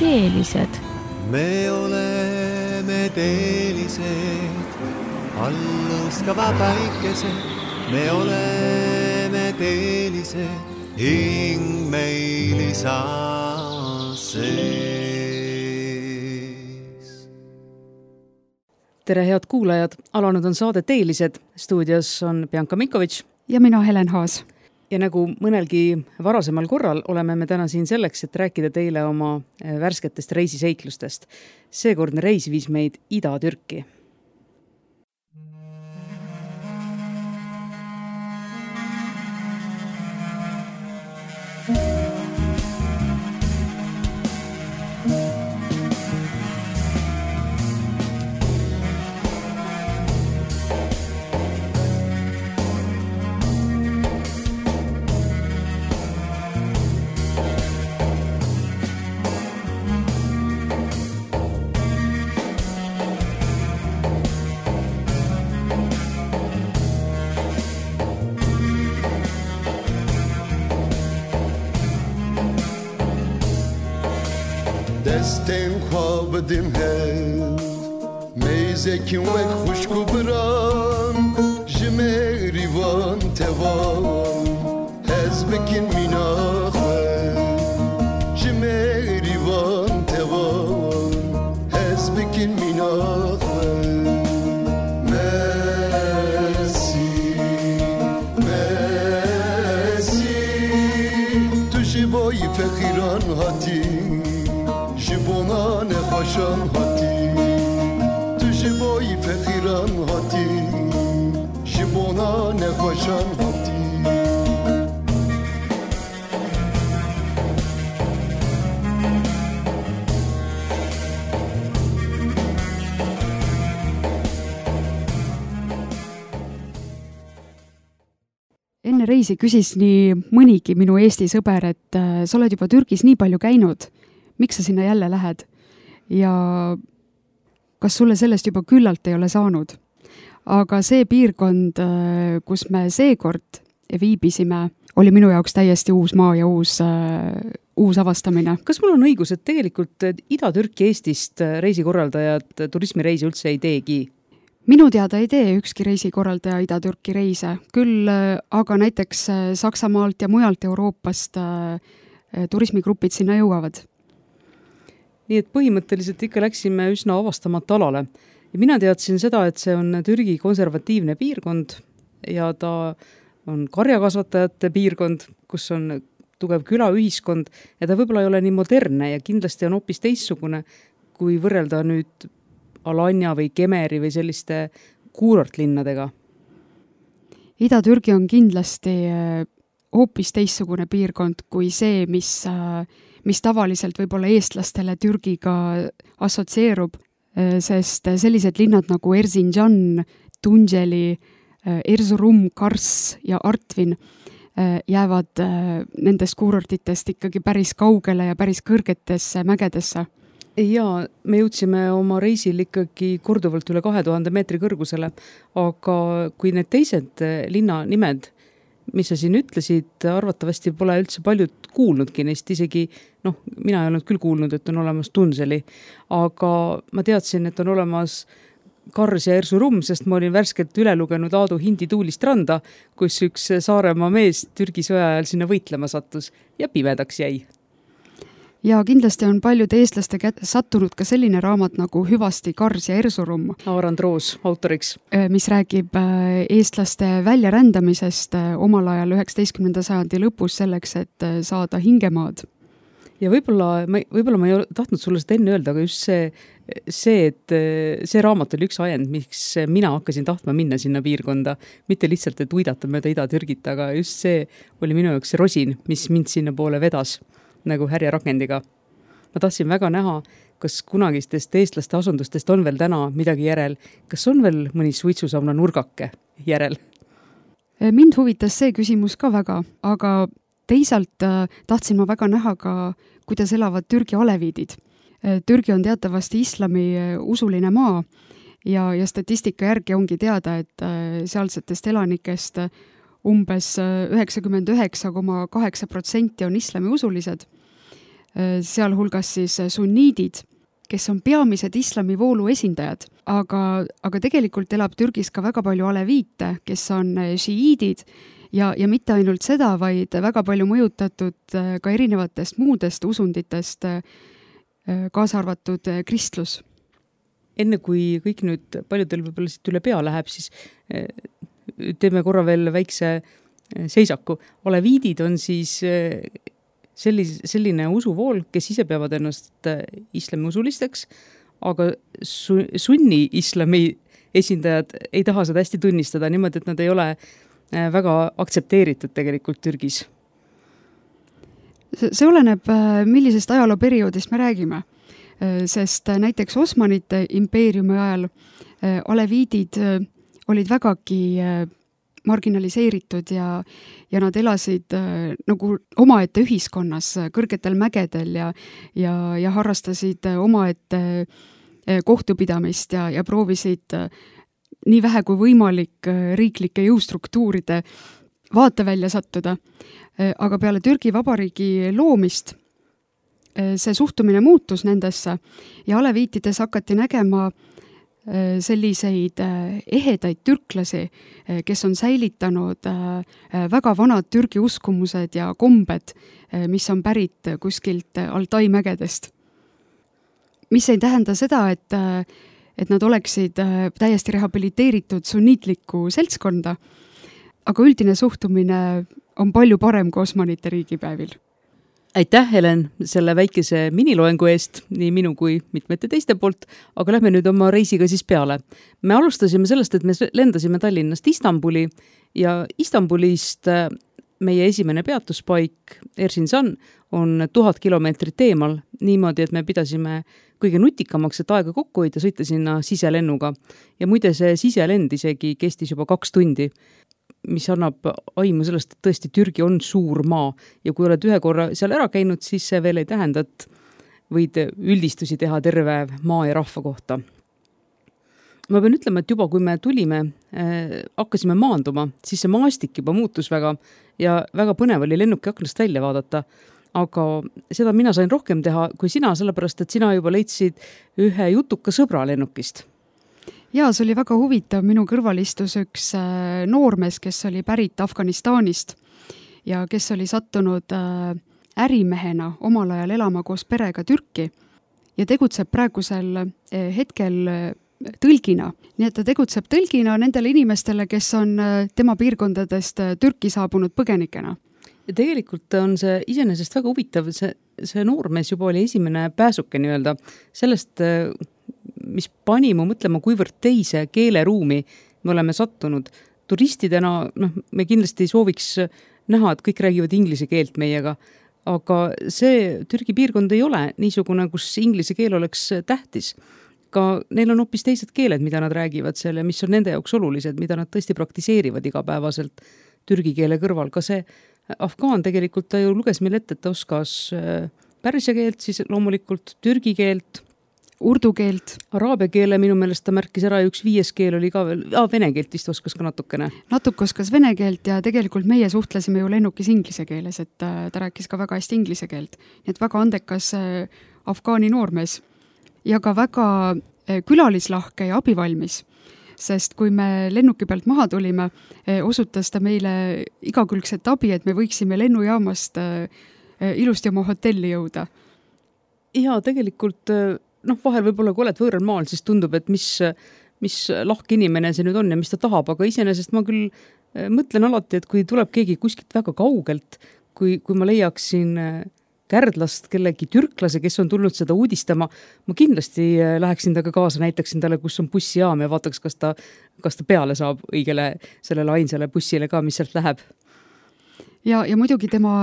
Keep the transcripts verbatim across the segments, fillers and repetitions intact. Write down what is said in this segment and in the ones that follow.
teelised. Me oleme teelised, allõskava päikesed. Me oleme teelised, hing meil isa sees. Tere head kuulajad, alanud on saade Teelised. Stuudios on Bianca Mikovitš ja mina Helen Haas. Ja nagu mõnelgi varasemal korral oleme me täna siin selleks, et rääkida teile oma värsketest reisiseiklustest. Seekordne reis viis meid Ida-Türki. دستم خواب دم هست میزه کن و خوشکو بران جمه ریوان توان هز بکن میناخه جمه ریوان توان هز بکن میناخه مرسی مرسی تو جبای فقیران هاتی جبونان خوشان هاتی تو جبای فقیران هاتی جبونان خوشان هاتی Enne reisi küsis nii mõnigi minu Eesti sõber, et äh, sa oled juba Türgis nii palju käinud. Miks sa sinna jälle lähed? Ja kas sulle sellest juba küllalt ei ole saanud? Aga see piirkond, kus me seekord viibisime, oli minu jaoks täiesti uus maa ja uus, uus avastamine. Kas mul on õigus, et tegelikult Ida-Türki Eestist reisikorraldajad turismireisi üldse ei teegi? Minu teada ei tee ükski reisikorraldaja Ida-Türki reise, küll aga näiteks Saksamaalt ja mujalt Euroopast turismigrupid sinna jõuavad. Nii et põhimõtteliselt ikka läksime üsna avastamata alale. Ja mina teadsin seda, et see on Türgi konservatiivne piirkond ja ta on karjakasvatajate piirkond, kus on tugev külaühiskond ja ta võib-olla ei ole nii modernne ja kindlasti on hoopis teissugune, kui võrrelda nüüd Alanya või Kemeri või selliste kuurortlinnadega. Ida-Türgi on kindlasti hoopis teissugune piirkond kui see, mis mis tavaliselt võib-olla eestlastele Türgiga assotsieerub, sest sellised linnad nagu Erzincan, Tunceli, Erzurum, Kars ja Artvin jäävad nendest kuurortitest ikkagi päris kaugele ja päris kõrgetesse mägedesse. Ja me jõudsime oma reisil ikkagi korduvalt üle kahe tuhande meetri kõrgusele, aga kui need teised linna nimed, mis sa siin ütlesid, arvatavasti pole üldse paljud kuulnudki neist, isegi, noh, mina ei olnud küll kuulnud, et on olemas Tunseli, aga ma teadsin, et on olemas Kars ja Erzurum, sest ma olin värskelt üle lugenud Aadu Hindi Tuulist randa, kus üks Saaremaa mees Türgi sõja ajal sinna võitlema sattus ja pimedaks jäi. Ja kindlasti on paljud eestlaste kätte sattunud ka selline raamat nagu Hüvasti Kars ja Erzurum. Aarand Roos autoriks. Mis räägib eestlaste väljarändamisest omal ajal üheksateistkümnenda sajandi lõpus selleks, et saada hingemaad. Ja võib-olla, võib-olla ma ei tahtnud sulle seda enne öelda, aga just see, see, et see raamat oli üks ajend, miks mina hakkasin tahtma minna sinna piirkonda. Mitte lihtsalt, et uidata mööda Ida-Türgit, aga just see oli minu jaoks see rosin, mis mind sinna poole vedas. Nagu härja rakendiga. Ma tahtsin väga näha, kas kunagistest eestlaste asundustest on veel täna midagi järel. Kas on veel mõni suitsusauna nurgake järel? Mind huvitas see küsimus ka väga, aga teisalt tahtsin ma väga näha ka, kuidas elavad Türgi aleviidid. Türgi on teatavasti islami usuline maa ja, ja statistika järgi ongi teada, et sealsetest elanikest umbes üheksakümmend üheksa koma kaheksa protsenti on islami usulised. sealhulgas siis sunniidid, kes on peamised islamivoolu esindajad, aga, aga tegelikult elab Türgis ka väga palju aleviite, kes on šiiidid ja, ja mitte ainult seda, vaid väga palju mõjutatud ka erinevatest muudest usunditest, kaasa arvatud kristlus. Enne kui kõik nüüd paljudel võib-olla siit üle pea läheb, siis teeme korra veel väikse seisaku. Aleviidid on siis sellis, selline usuvool, kes ise peavad ennast islami usulisteks, aga su, sunni islami esindajad ei taha seda hästi tunnistada niimoodi, et nad ei ole väga aktsepteeritud tegelikult Türgis. See oleneb, millisest ajalooperioodist me räägime. Sest näiteks Osmanite impeeriumi ajal aleviidid olid vägagi marginaliseeritud ja, ja nad elasid nagu omaette ühiskonnas kõrgetel mägedel ja, ja, ja harrastasid omaette kohtupidamist ja, ja proovisid nii vähe kui võimalik riiklike jõustruktuuride vaatevälja sattuda. Aga peale Türgi Vabariigi loomist see suhtumine muutus nendesse ja aleviitides hakati nägema selliseid ehedaid türklasi, kes on säilitanud väga vanad Türgi uskumused ja kombed, mis on pärit kuskilt Altai mägedest. Mis ei tähenda seda, et, et nad oleksid täiesti rehabiliteeritud sunniitlikku seltskonda, aga üldine suhtumine on palju parem kui Osmanite riigipäevil. Aitäh, Helen, selle väikese miniloengu eest, nii minu kui mitmete teiste poolt, aga lähme nüüd oma reisiga siis peale. Me alustasime sellest, et me lendasime Tallinnast Istanbuli ja Istanbulist meie esimene peatuspaik Erzincan on tuhat kilomeetrit eemal, niimoodi, et me pidasime kõige nutikamaks, et aega kokku hoida, sõita sinna siselennuga. Ja muide see siselend isegi kestis juba kaks tundi, mis annab aimu sellest, et tõesti Türgi on suur maa ja kui oled ühe korra seal ära käinud, siis see veel ei tähenda, et võid üldistusi teha terve maa ja rahva kohta. Ma pean ütlema, et juba kui me tulime, äh, hakkasime maanduma, siis see maastik juba muutus väga ja väga põnev oli lennuki aknast välja vaadata, aga seda mina sain rohkem teha kui sina, sellepärast, et sina juba leidsid ühe jutuka sõbra lennukist. Jaa, see oli väga huvitav. Minu kõrval istus üks noormees, kes oli pärit Afganistanist ja kes oli sattunud ärimehena omal ajal elama koos perega Türki ja tegutseb praegusel hetkel tõlgina. Nii et ta tegutseb tõlgina nendele inimestele, kes on tema piirkondadest Türki saabunud põgenikena. Ja tegelikult on see iseenesest väga huvitav. See, see noormees juba oli esimene pääsuke nii-öelda sellest, mis pani mu mõtlema, kuivõrd teise keeleruumi me oleme sattunud. Turistidena, noh, me kindlasti ei sooviks näha, et kõik räägivad inglise keelt meiega, aga see Türgi piirkond ei ole niisugune, kus inglise keel oleks tähtis. Ka neil on hoopis teised keeled, mida nad räägivad selle, mis on nende jaoks olulised, mida nad tõesti praktiseerivad igapäevaselt türgi keele kõrval. Ka see afgaan tegelikult, ta ju luges meil ette, et ta oskas pärsia keelt, siis loomulikult türgi keelt, urdu keelt. Araabia keele minu meelest ta märkis ära ja üks viies keel oli ka veel, ah, vene keelt vist oskas ka natukene. Natuke oskas vene keelt ja tegelikult meie suhtlesime ju lennukis inglise keeles, et ta rääkis ka väga hästi inglise keelt. Nii et väga andekas afgaani noormees ja ka väga külalislahke ja abivalmis, sest kui me lennuki pealt maha tulime, osutas ta meile igakülgset abi, et me võiksime lennujaamast ilusti oma hotelli jõuda. Ja tegelikult noh, vahel võib-olla, kui oled võõral maal, siis tundub, et mis, mis lahke inimene see nüüd on ja mis ta tahab, aga iseenesest ma küll mõtlen alati, et kui tuleb keegi kuskilt väga kaugelt, kui, kui ma leiaksin Kärdlast kellegi türklase, kes on tulnud seda uudistama, ma kindlasti läheksin taga kaasa, näitaksin talle, kus on bussijaam ja vaataks, kas ta, kas ta peale saab õigele sellele ainsale bussile ka, mis sealt läheb. Ja, ja muidugi tema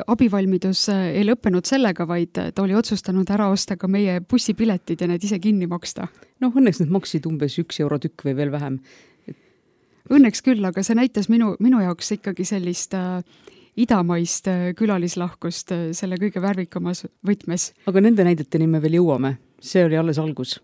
abivalmidus ei lõppenud sellega, vaid ta oli otsustanud ära osta ka meie bussipiletid ja need ise kinni maksta. No õnneks need maksid umbes üks euro tükk või veel vähem. Õnneks küll, aga see näitas minu, minu jaoks ikkagi sellist äh, idamaist äh, külalislahkust äh, selle kõige värvikamas võtmes. Aga nende näideteni me veel jõuame. See oli alles algus.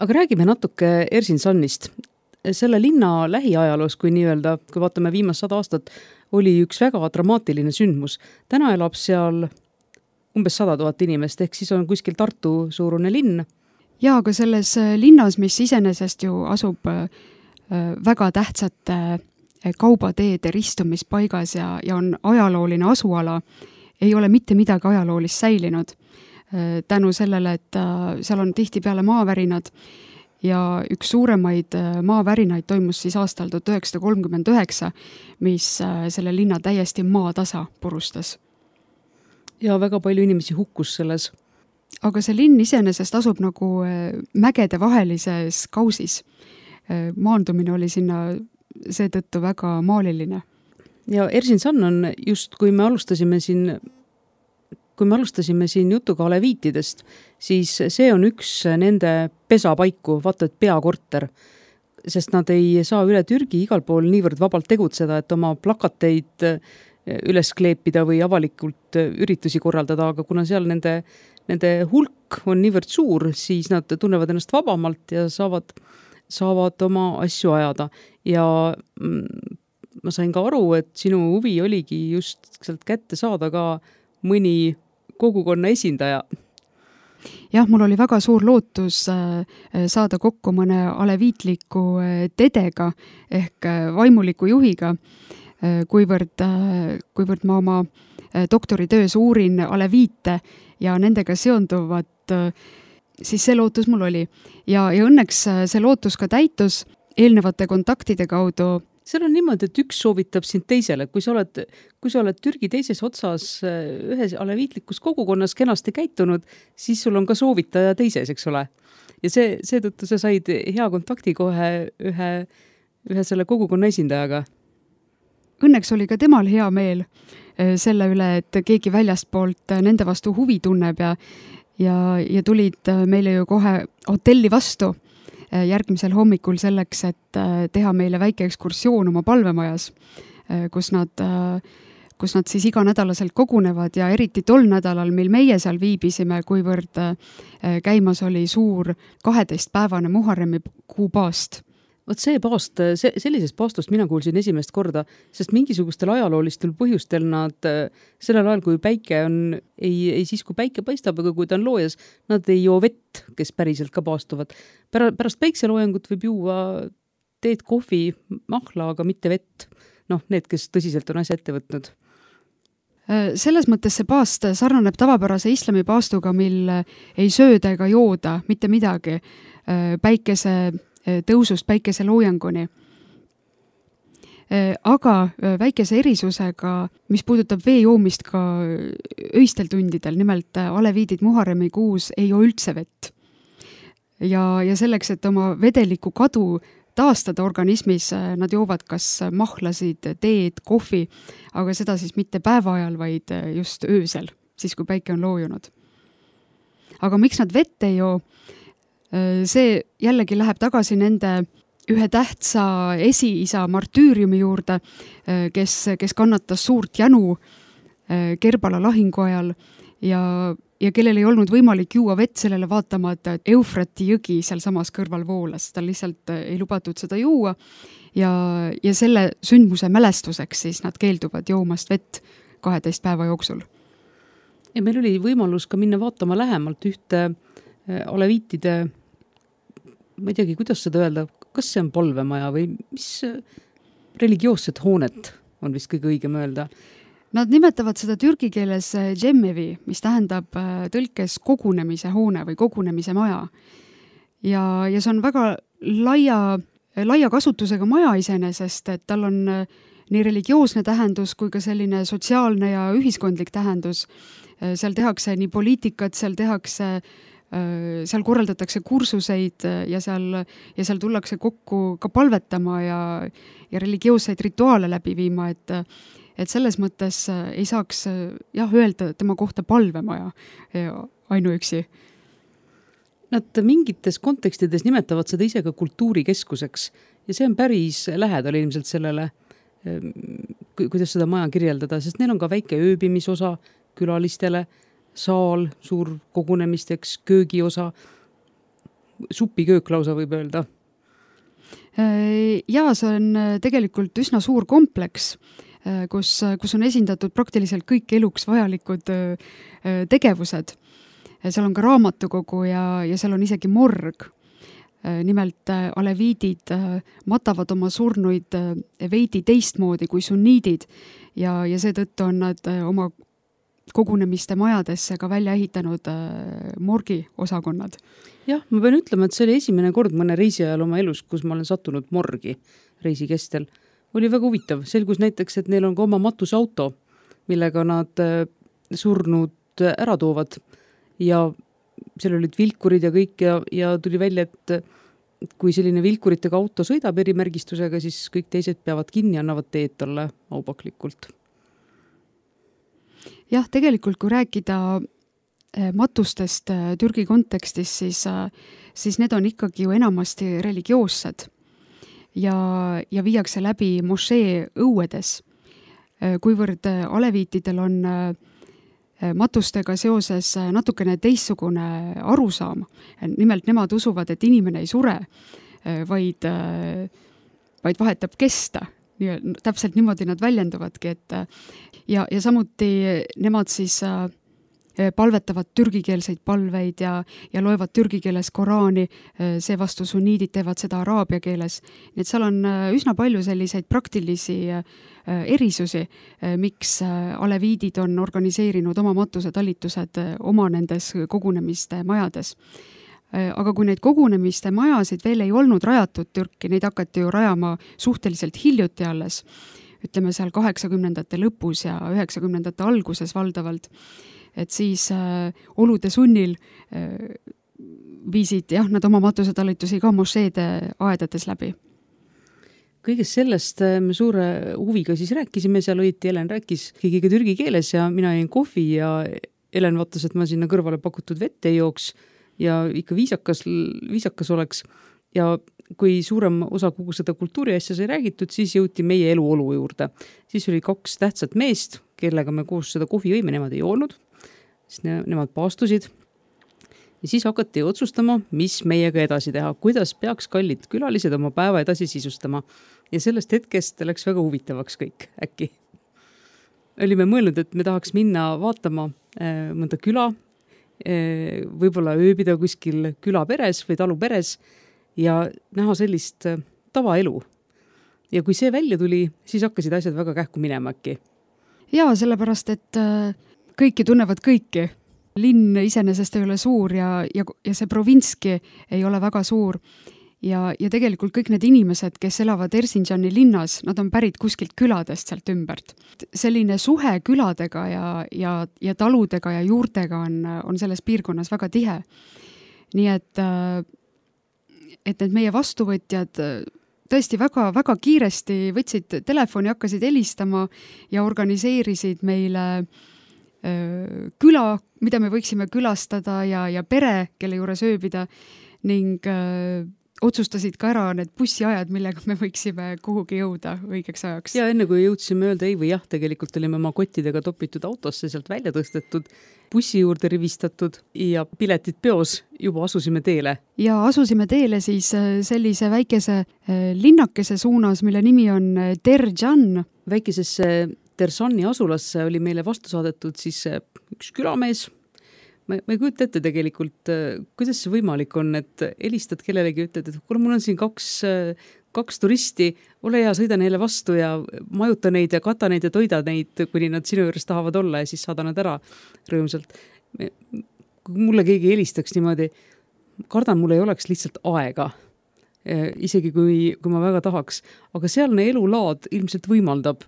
Aga räägime natuke Erzincanist. Selle linna lähiajaloos, kui nii öelda, kui vaatame viimast sada aastat, oli üks väga dramaatiline sündmus. Täna elab seal umbes sada tuhat inimest, ehk siis on kuskil Tartu suurune linn. Ja, aga selles linnas, mis iseenesest ju asub väga tähtsate kaubateede ristumispaigas ja, ja on ajalooline asuala, ei ole mitte midagi ajaloolist säilinud. Tänu sellele, et seal on tihtipeale maavärinad ja üks suuremaid maavärinaid toimus siis aastal tuhat üheksasada kolmkümmend üheksa, mis selle linna täiesti maatasa purustas. Ja väga palju inimesi hukkus selles. Aga see linn iseenesest asub nagu mägede vahelises kausis. Maandumine oli sinna seetõttu väga maaliline. Ja Erzincan on just, kui me alustasime siin Kui me alustasime siin jutuga aleviitidest, siis see on üks nende pesapaiku, vaata, et peakorter, sest nad ei saa üle Türgi igal pool niivõrd vabalt tegutseda, et oma plakateid üles kleepida või avalikult üritusi korraldada, aga kuna seal nende, nende hulk on niivõrd suur, siis nad tunnevad ennast vabamalt ja saavad, saavad oma asju ajada. Ja ma sain ka aru, et sinu huvi oligi just sealt kätte saada ka mõni kogukonna esindaja. Jah, mul oli väga suur lootus saada kokku mõne aleviitliku tedega ehk vaimuliku juhiga, kuivõrd, kuivõrd ma oma doktoritöös uurin aleviite ja nendega seonduvat, siis see lootus mul oli. Ja, ja õnneks see lootus ka täitus eelnevate kontaktide kaudu. Seal on niimoodi, et üks soovitab sind teisele. Kui sa oled, kui sa oled Türgi teises otsas ühes aleviitlikus kogukonnas kenasti käitunud, siis sul on ka soovitaja teises, eks ole. Ja see, seetõttu sa said hea kontakti kohe ühe, ühe selle kogukonna esindajaga. Õnneks oli ka temal hea meel selle üle, et keegi väljastpoolt nende vastu huvi tunneb ja, ja, ja tulid meile ju kohe hotelli vastu järgmisel hommikul selleks, et teha meile väike ekskursioon oma palvemajas, kus nad, kus nad siis iganädalaselt kogunevad ja eriti tol nädalal, mil meie seal viibisime, kuivõrd käimas oli suur kaheteistpäevane Muharremi kuupaast. Vot see paast, see, sellisest paastust mina kuulsin esimest korda, sest mingisugustel ajaloolistel põhjustel nad sellel ajal, kui päike on, ei, ei siis, kui päike paistab, aga kui ta on loojas, nad ei joo vett, kes päriselt ka paastuvad. Pärast päikseloojangut võib juua teed, kohvi, mahla, aga mitte vett. Noh, need, kes tõsiselt on asja ette võtnud. Selles mõttes see paast sarnaneb tavapärase islami paastuga, mil ei sööda ega jooda mitte midagi. Päikese tõusust päikese loojanguni. Aga väikese erisusega, mis puudutab vee joomist ka öistel tundidel, nimelt aleviidid Muharremi kuus ei joo üldse vett. Ja, ja selleks, et oma vedeliku kadu taastada organismis, nad joovad kas mahlasid, teed, kohvi, aga seda siis mitte päeva ajal, vaid just öösel, siis kui päike on loojunud. Aga miks nad vett ei joo? See jällegi läheb tagasi nende ühe tähtsa esiisa martüüriumi juurde, kes, kes kannatas suurt jänu Kerbala lahingu ajal ja, ja kellel ei olnud võimalik juua vett sellele vaatamata, et Eufrati jõgi seal samas kõrval voolas. Ta lihtsalt ei lubatud seda juua ja, ja selle sündmuse mälestuseks siis nad keelduvad joomast vett kaheteist päeva jooksul. Ja meil oli võimalus ka minna vaatama lähemalt ühte aleviitide, ma ei teagi, kuidas seda öelda, kas see on palvemaja või mis religioossed hoonet on vist kõige õigem öelda? Nad nimetavad seda türgi keeles džemmevi, mis tähendab tõlkes kogunemise hoone või kogunemise maja. Ja, ja see on väga laia, laia kasutusega maja iseenesest, et tal on nii religioosne tähendus kui ka selline sotsiaalne ja ühiskondlik tähendus. Seal tehakse nii poliitikat, seal tehakse seal korraldatakse kursuseid ja seal, ja seal tullakse kokku ka palvetama ja, ja religioosseid rituaale läbi viima, et, et selles mõttes ei saaks jah, öelda tema kohta palvemaja ainuüksi. Nad mingites kontekstides nimetavad seda ise ka kultuurikeskuseks ja see on päris lähedal ilmselt sellele, kuidas seda maja kirjeldada, sest neil on ka väike ööbimisosa külalistele, saal, suur kogunemisteks, köögiosa. supiköök lausa võib öelda. Ja see on tegelikult üsna suur kompleks, kus, kus on esindatud praktiliselt kõik eluks vajalikud tegevused. Seal on ka raamatukogu ja, ja seal on isegi morg. Nimelt aleviidid matavad oma surnuid veidi teistmoodi kui sunniidid ja, ja seetõttu on nad oma kogunemiste majadesse ka välja ehitanud morgi osakonnad. Jah, ma pean ütlema, et see oli esimene kord mõne reisi ajal oma elus, kus ma olen sattunud morgi reisi kestel. Oli väga huvitav. Selgus näiteks, et neil on ka oma matusauto, millega nad surnud ära toovad ja seal olid vilkurid ja kõik ja, ja tuli välja, et kui selline vilkuritega auto sõidab erimärgistusega, siis kõik teised peavad kinni ja annavad teed talle aupaklikult. Jah, tegelikult kui rääkida matustest Türgi kontekstis, siis, siis need on ikkagi ju enamasti religioossed ja, ja viiakse läbi mošee õuedes. Kuivõrd aleviitidel on matustega seoses natukene teissugune arusaam. Nimelt nemad usuvad, et inimene ei sure, vaid, vaid vahetab kesta. Nii, täpselt niimoodi nad väljenduvadki. Et, ja, ja samuti nemad siis palvetavad türgikeelseid palveid ja, ja loevad türgi keeles Koraani, seevastu sunniidid teevad seda araabia keeles. Nii et seal on üsna palju selliseid praktilisi erisusi, miks aleviidid on organiseerinud oma matusetalitused oma nendes kogunemiste majades. Aga kui neid kogunemiste majasid veel ei olnud rajatud Türki, neid hakati ju rajama suhteliselt hiljuti alles, ütleme seal kaheksakümnendate lõpus ja üheksakümnendate alguses valdavalt, et siis äh, olude sunnil äh, viisid jah, nad oma matusetalitusi ka mošeede aedades läbi. Kõigest sellest me suure huviga siis rääkisime, seal õiti Helen rääkis kõigiga türgi keeles ja mina jäin kohvi ja Helen vaatas, et ma sinna kõrvale pakutud vette ei jooks ja ikka viisakas, viisakas oleks ja kui suurem osa kogu seda kultuuri asja sai räägitud, siis jõuti meie eluolu juurde. Siis oli kaks tähtsat meest, kellega me koos seda kohvi jõime, nemad ei olnud. Siis ne, nemad paastusid ja siis hakati otsustama, mis meiega edasi teha, kuidas peaks kallid külalised oma päeva edasi sisustama ja sellest hetkest läks väga huvitavaks kõik äkki. Olime mõelnud, et me tahaks minna vaatama äh, mõnda küla, äh, võib-olla ööbida kuskil külaperes või taluperes ja näha sellist äh, tavaelu. Ja kui see välja tuli, siis hakkasid asjad väga kähku minema äkki. Jaa, sellepärast, et äh... kõiki tunnevad kõiki. Linn iseenesest ei ole suur ja, ja, ja see provinski ei ole väga suur. Ja, ja tegelikult kõik need inimesed, kes elavad Erzinjani linnas, nad on pärit kuskilt küladest sealt ümbert. Selline suhe küladega ja, ja, ja taludega ja juurtega on, on selles piirkonnas väga tihe. Nii et, et need meie vastuvõtjad tõesti väga, väga kiiresti võtsid telefoni, hakkasid helistama ja organiseerisid meile küla, mida me võiksime külastada ja, ja pere, kelle juures ööbida ning öö, otsustasid ka ära need bussiajad, millega me võiksime kuhugi jõuda õigeks ajaks. Ja enne kui jõudsime öelda ei või jah, tegelikult olime oma kottidega topitud autosse, sealt välja tõstetud, bussi juurde rivistatud ja piletid peos, juba asusime teele. Ja asusime teele siis sellise väikese linnakese suunas, mille nimi on Terjan. Väikesesse Tersani asulasse oli meile vastu saadetud siis üks külamees. Ma, ma ei kujuta ette tegelikult, kuidas see võimalik on, et helistad kellelegi, ütled, et kuule, mul on siin kaks, kaks turisti, ole hea, sõida neile vastu ja majuta neid ja kata neid ja toida neid, kuni nad sinu juures tahavad olla ja siis saada nad ära rõõmsalt. Kui mulle keegi helistaks niimoodi, kardan, mul ei oleks lihtsalt aega, isegi kui, kui ma väga tahaks, aga sealne elulaad ilmselt võimaldab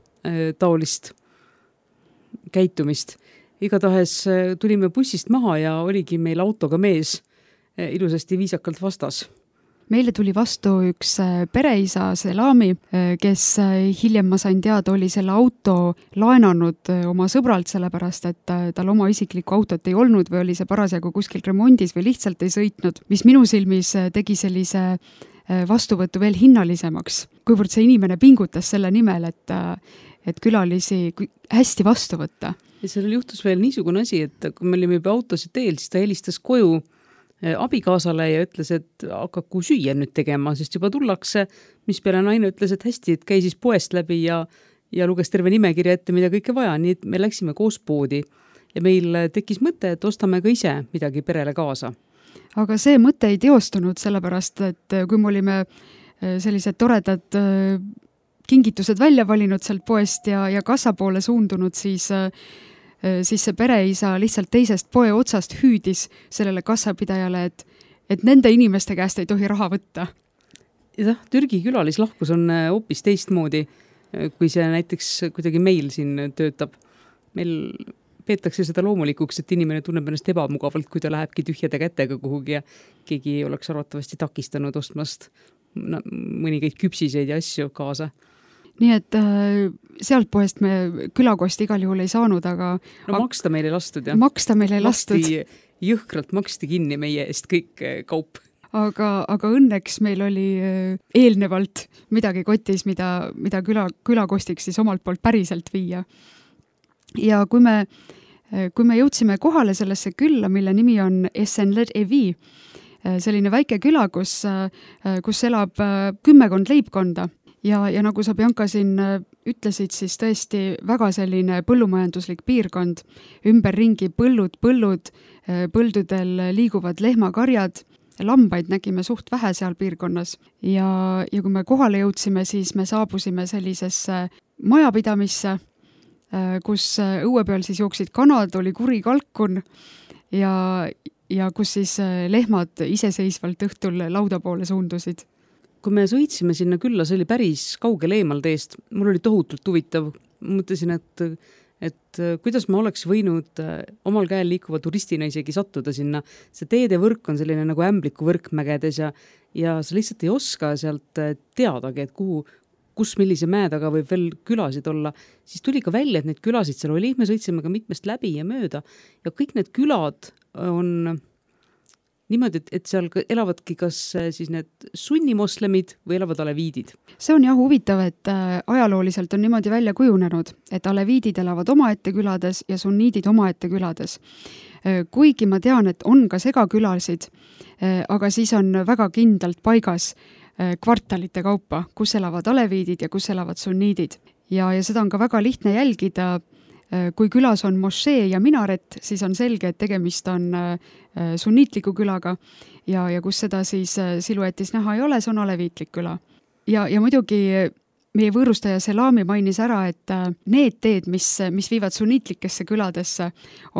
taolist käitumist. Igatahes tulime bussist maha ja oligi meil autoga mees ilusasti viisakalt vastas. Meile tuli vastu üks pereisa Selami, kes hiljem ma sain teada, oli selle auto laenanud oma sõbralt, sellepärast, et tal oma isiklikku autot ei olnud või oli see parasjagu kuskil remondis või lihtsalt ei sõitnud, mis minu silmis tegi sellise vastuvõttu veel hinnalisemaks, kuivõrd see inimene pingutas selle nimel, et, et külalisi hästi vastu võtta. Ja sellel juhtus veel niisugune asi, et kui me olime juba autosid teel, siis ta helistas koju abikaasale ja ütles, et hakaku süüa nüüd tegema, sest juba tullakse, mis peale naine ütles, et hästi, et käi siis poest läbi ja, ja luges terve nimekirja ette, mida kõike vaja, nii et me läksime koos poodi ja meil tekkis mõte, et ostame ka ise midagi perele kaasa. Aga see mõte ei teostunud sellepärast, et kui me olime sellised toredad kingitused välja valinud sealt poest ja, ja kassa poole suundunud, siis, siis see pereisa lihtsalt teisest poe otsast hüüdis sellele kassapidajale, et, et nende inimeste käest ei tohi raha võtta. Ja Türgi külalislahkus on hoopis teistmoodi, kui see näiteks kuidagi meil siin töötab. Meil peetakse seda loomulikuks, et inimene tunneb ennast ebamugavalt, kui ta lähebki tühjade kätega kuhugi ja keegi oleks arvatavasti takistanud ostmast no, mõningaid küpsiseid ja asju kaasa. Nii et äh, sealt poest me külakosti igal juhul ei saanud, aga... No maksta meil ei lastud, jah. Maksta meil ei lastud. Maksti, jõhkralt maksti kinni meie eest kõik kaup. Aga, aga õnneks meil oli eelnevalt midagi kotis, mida, mida küla, külakostiks siis omalt poolt päriselt viia. Ja kui me, kui me jõudsime kohale sellesse külla, mille nimi on Esenler-Evi, selline väike küla, kus, kus elab kümmekond leibkonda ja, ja nagu sa, Bianca, siin ütlesid, siis tõesti väga selline põllumajanduslik piirkond, ümberringi põllud, põllud, põldudel liiguvad lehmakarjad, lambaid nägime suht vähe seal piirkonnas ja, ja kui me kohale jõudsime, siis me saabusime sellisesse majapidamisse, kus õue peal siis jooksid kanad, oli kuri kalkun ja, ja kus siis lehmad iseseisvalt õhtul lauda poole suundusid. Kui me sõitsime sinna külla, see oli päris kaugel eemal teest, mul oli tohutult huvitav. Mõtlesin, et, et kuidas ma oleks võinud omal käel liikuva turistina isegi sattuda sinna. See teede võrk on selline nagu ämbliku võrk mägedes ja, ja sa lihtsalt ei oska sealt teadagi, et kuhu kus millise mäe taga võib veel külasid olla, siis tuli ka välja, et need külasid seal oli, me sõitsime ka mitmest läbi ja mööda ja kõik need külad on niimoodi, et, et seal elavadki kas siis need sunnimoslemid või elavad aleviidid. See on jah huvitav, et ajalooliselt on niimoodi välja kujunenud, et aleviidid elavad omaette külades ja sunniidid omaette külades. Kuigi ma tean, et on ka segakülasid, aga siis on väga kindlalt paigas kvartalite kaupa, kus elavad aleviidid ja kus elavad sunniidid. Ja, ja seda on ka väga lihtne jälgida. Kui külas on mošee ja minaret, siis on selge, et tegemist on sunniitliku külaga ja, ja kus seda siis siluetis näha ei ole, see on aleviitlik küla. Ja, ja muidugi meie võõrustaja Selami mainis ära, et need teed, mis, mis viivad sunniitlikesse küladesse,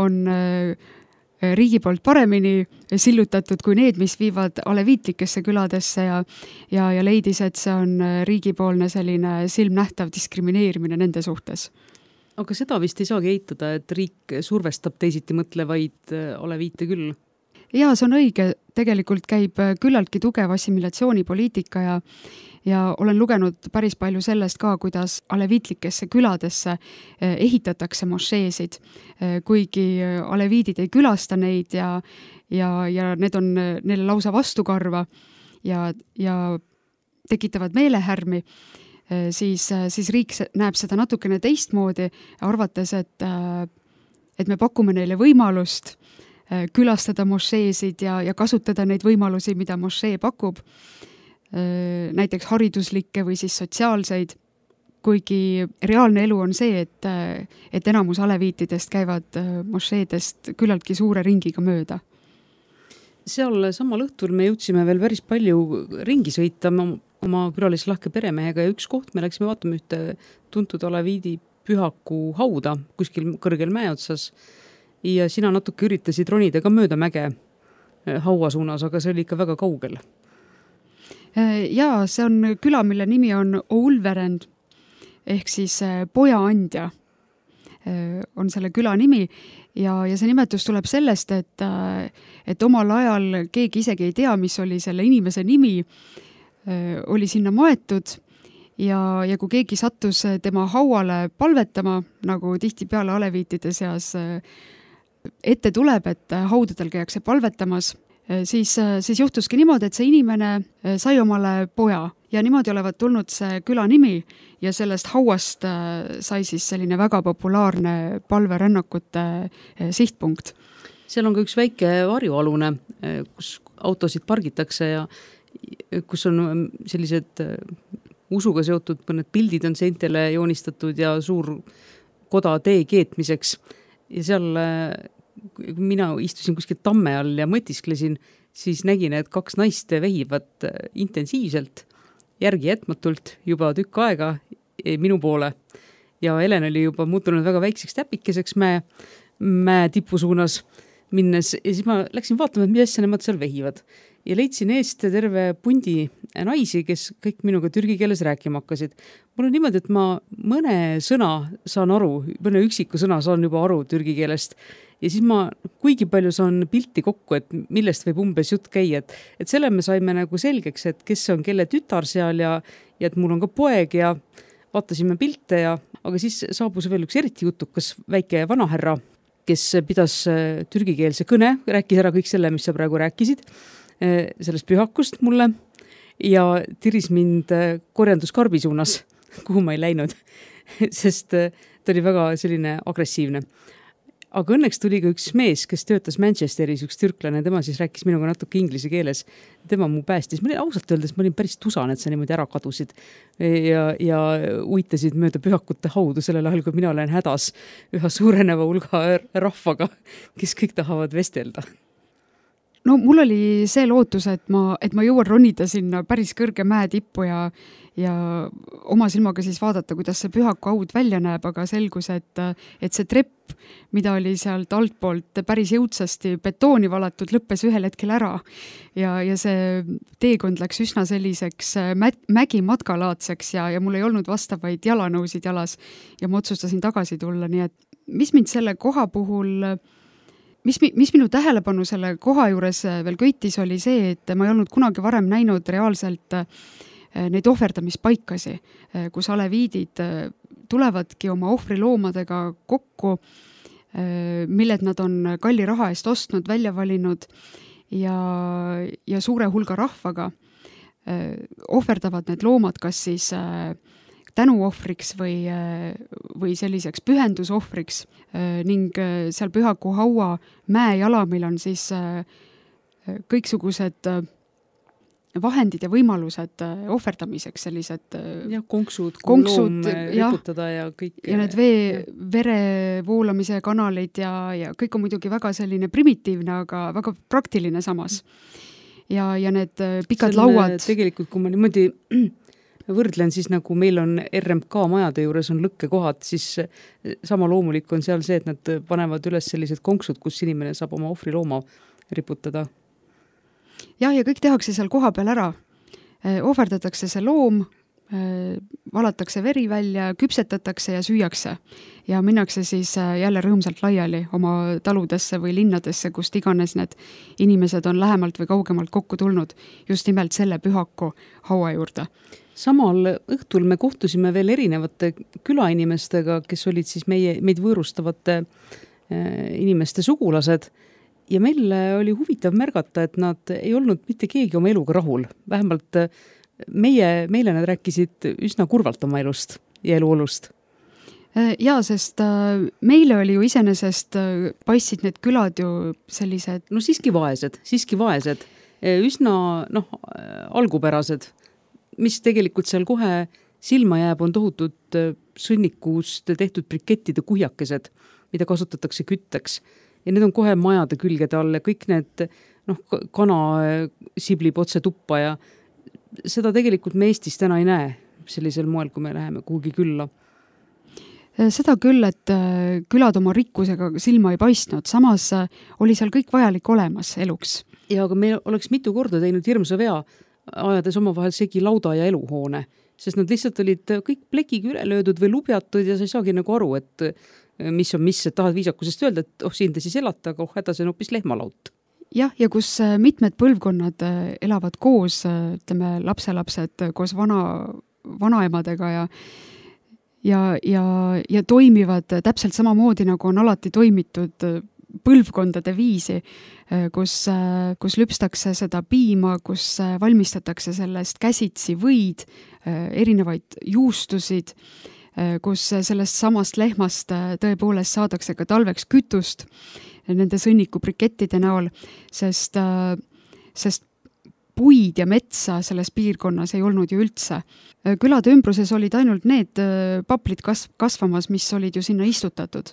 on riigi poolt paremini sillutatud kui need, mis viivad aleviitlikesse küladesse ja, ja, ja leidis, et see on riigipoolne selline silmnähtav diskrimineerimine nende suhtes. Aga seda vist ei saagi eitada, et riik survestab teisiti mõtlevaid aleviite küll? Jaa, see on õige. Tegelikult käib küllaltki tugev assimilatsioonipoliitika ja ja olen lugenud päris palju sellest ka, kuidas aleviitlikesse küladesse ehitatakse mošeesid, kuigi aleviidid ei külasta neid ja, ja, ja need on neile lausa vastukarva ja, ja tekitavad meelehärmi, siis, siis riik näeb seda natukene teistmoodi, arvates, et, et me pakume neile võimalust külastada mošeesid ja, ja kasutada neid võimalusi, mida mošee pakub, näiteks hariduslikke või siis sotsiaalseid, kuigi reaalne elu on see, et, et enamus aleviitidest käivad mošeedest küllaltki suure ringiga mööda. Seal samal õhtul me jõudsime veel päris palju ringi sõita oma külalislahke peremehega ja üks koht me läksime vaatama ühte tuntud aleviidi pühaku hauda kuskil kõrgel mäe otsas ja sina natuke üritasid ronida ka mööda mäge haua suunas, aga see oli ikka väga kaugel. Jaa, see on küla, mille nimi on Oulverend, ehk siis pojaandja on selle küla nimi ja, ja see nimetus tuleb sellest, et, et omal ajal keegi isegi ei tea, mis oli selle inimese nimi, oli sinna maetud ja, ja kui keegi sattus tema hauale palvetama, nagu tihtipeale aleviitide seas ette tuleb, et haudadel käiakse palvetamas, Siis, siis juhtuski niimoodi, et see inimene sai omale poja ja niimoodi olevat tulnud see küla nimi ja sellest hauast sai siis selline väga populaarne palverännakute sihtpunkt. seal on ka üks väike varjualune, kus autosid pargitakse ja kus on sellised usuga seotud mõned pildid on seintele joonistatud ja suur koda tee keetmiseks. Ja seal mina istusin kuskil tamme all ja mõtisklesin, siis nägin, et kaks naist vehivad intensiivselt, järgi jätmatult juba tükk aega minu poole. Ja Helen oli juba muutunud väga väikseks täpikeseks mäe, mäe tipu suunas minnes ja siis ma läksin vaatama, et mis asja nemad seal vehivad. Ja leidsin eest terve pundi naisi, kes kõik minuga türgi keeles rääkima hakkasid. Mul on niimoodi, et ma mõne sõna saan aru, mõne üksiku sõna saan juba aru türgi keelest. Ja siis ma kuigi palju saan pilti kokku, et millest võib umbes jutt käia. Et, et selle me saime nagu selgeks, et kes on kelle tütar seal ja, ja et mul on ka poeg ja vaatasime pilte ja aga siis saabus veel üks eriti jutukas väike vanaherra, kes pidas türgikeelse kõne, rääkis ära kõik selle, mis sa praegu rääkisid sellest pühakust mulle ja tiris mind korjanduskarbi suunas, kuhu ma ei läinud, sest ta oli väga selline agressiivne. Aga õnneks tuli ka üks mees, kes töötas Manchesteris, üks türklane, tema siis rääkis minuga natuke inglise keeles. Tema mu päästis. Ma olin ausalt öeldes, ma olin päris tusan, et sa niimoodi ära kadusid ja, ja uitasid mööda pühakute haudu sellel ajal, kui mina olen hädas üha suureneva hulga rahvaga, kes kõik tahavad vestelda. No mul oli see lootus, et ma, et ma jõuan ronida sinna päris kõrge mäe tippu ja, ja oma silmaga siis vaadata, kuidas see pühaku haud välja näeb, aga selgus, et, et see trepp, mida oli sealt altpoolt päris jõudsasti betooni valatud, lõppes ühel hetkel ära. Ja, ja see teekond läks üsna selliseks mä, mägi matkalaadseks ja, ja mul ei olnud vastavaid jalanõusid jalas ja ma otsustasin tagasi tulla, nii et mis mind selle koha puhul Mis, mis minu tähelepanu selle koha juures veel köitis oli see, et ma ei olnud kunagi varem näinud reaalselt neid ohverdamispaikasi, kus aleviidid tulevadki oma ohvriloomadega kokku, milled nad on kalli raha eest ostnud, välja valinud ja, ja suure hulga rahvaga ohverdavad need loomad kas siis tänuohvriks või, või selliseks pühendusohvriks ning seal pühaku haua mäe jalamil on siis kõiksugused vahendid ja võimalused ohverdamiseks, sellised ja, konksud, konksud ja, riputada ja kõik. Ja need vee, vere voolamise kanalid ja, ja kõik on muidugi väga selline primitiivne, aga väga praktiline samas. Ja, ja need pikad Selle, lauad. Tegelikult, kui ma niimoodi võrdlen, siis nagu meil on R M K majade juures on lõkkekohad, siis sama loomulik on seal see, et nad panevad üles sellised konksud, kus inimene saab oma ohvrilooma riputada. Ja, ja kõik tehakse seal koha peal ära. Ohverdatakse see loom, valatakse veri välja, küpsetatakse ja süüakse. Ja minnakse siis jälle rõõmsalt laiali oma taludesse või linnadesse, kust iganes need inimesed on lähemalt või kaugemalt kokku tulnud just nimelt selle pühaku haua juurde. Samal õhtul me kohtusime veel erinevate külainimestega, kes olid siis meie, meid võõrustavate inimeste sugulased ja meil oli huvitav märgata, et nad ei olnud mitte keegi oma eluga rahul. Vähemalt meie, meile nad rääkisid üsna kurvalt oma elust ja eluolust. Jaa, sest meile oli ju iseenesest paistsid need külad ju sellised... No siiski vaesed, siiski vaesed, üsna noh, algupärased, mis tegelikult seal kohe silma jääb, on tohutud sõnnikust tehtud brikettide kuhjakesed, mida kasutatakse kütteks. Ja need on kohe majade külgede all ja kõik need noh, kana siblib otse tuppa ja seda tegelikult me Eestis täna ei näe sellisel moel, kui me läheme kuhugi külla. Seda küll, et külad oma rikkusega silma ei paistnud, samas oli seal kõik vajalik olemas eluks. Ja aga me oleks mitu korda teinud hirmsa vea, ajades omavahel segi lauda ja eluhoone, sest nad lihtsalt olid kõik plekiga üle löödud või lubjatud ja sa ei saagi nagu aru, et mis on mis, et tahad viisakusest öelda, et oh, siin te siis elata, aga oh, hädas on hoopis lehmalaut. Jah, ja kus mitmed põlvkonnad elavad koos, ütleme, lapselapsed koos vana, vanaemadega ja ja, ja, ja toimivad täpselt samamoodi, nagu on alati toimitud põlvkondade viisi, kus, kus lüpstakse seda piima, kus valmistatakse sellest käsitsi võid, erinevaid juustusid, kus sellest samast lehmast tõepoolest saadakse ka talveks kütust nende sõnnikubrikettide näol, sest, sest puid ja metsa selles piirkonnas ei olnud ju üldse. Külade ümbruses olid ainult need paplid kas- kasvamas, mis olid ju sinna istutatud.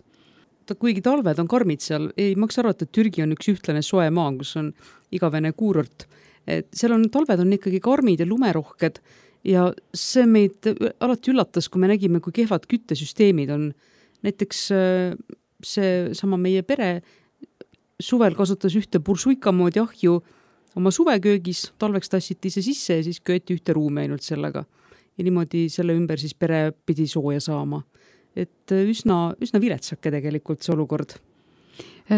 Ta, kuigi talved on karmid seal, ei maksa arvata, et Türgi on üks ühtlane soe maa, kus on igavene kuurort. Et seal on, talved on ikkagi karmid ja lumerohked ja see meid alati üllatas, kui me nägime, kui kehvad küttesüsteemid on. Näiteks see sama meie pere suvel kasutas ühte bursuika moodi ahju oma suveköögis, talveks tassiti see sisse ja siis kööti ühte ruumi ainult sellega. Ja niimoodi selle ümber siis pere pidi sooja saama. Et üsna, üsna viletsake tegelikult see olukord.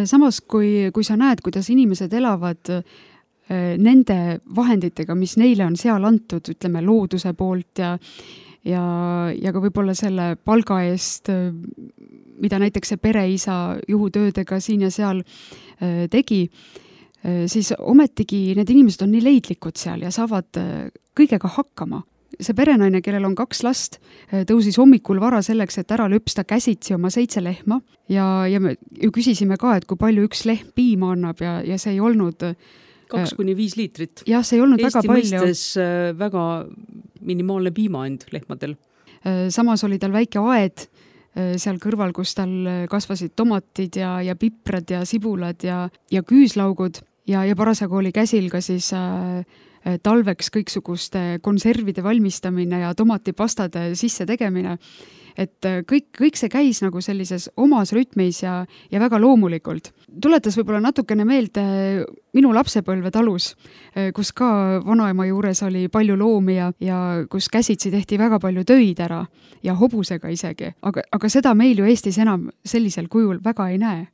Samas, kui, kui sa näed, kuidas inimesed elavad nende vahenditega, mis neile on seal antud, ütleme looduse poolt ja, ja, ja ka võib-olla selle palga eest, mida näiteks see pereisa juhutöödega siin ja seal tegi, siis ometigi need inimesed on nii leidlikud seal ja saavad kõigega hakkama. See perenaine, kellel on kaks last, tõusis hommikul vara selleks, et ära lüpsta käsitsi oma seitse lehma ja, ja me ju küsisime ka, et kui palju üks lehm piima annab ja, ja see ei olnud kaks kuni viis liitrit. Jah, see ei olnud Eesti väga palju. Eesti mõistes väga minimaalne piimaand lehmadel. Samas oli tal väike aed seal kõrval, kus tal kasvasid tomatid ja, ja piprad ja sibulad ja, ja küüslaugud ja, ja parasagu oli käsil ka siis äh, talveks kõiksuguste konservide valmistamine ja tomatipastade sisse tegemine. Et kõik, kõik see käis nagu sellises omas rütmis ja, ja väga loomulikult. Tuletas võib-olla natukene meelde minu lapsepõlve talus, kus ka vanaema juures oli palju loomi ja, ja kus käsitsi tehti väga palju töid ära ja hobusega isegi. Aga, aga seda meil ju Eestis enam sellisel kujul väga ei näe.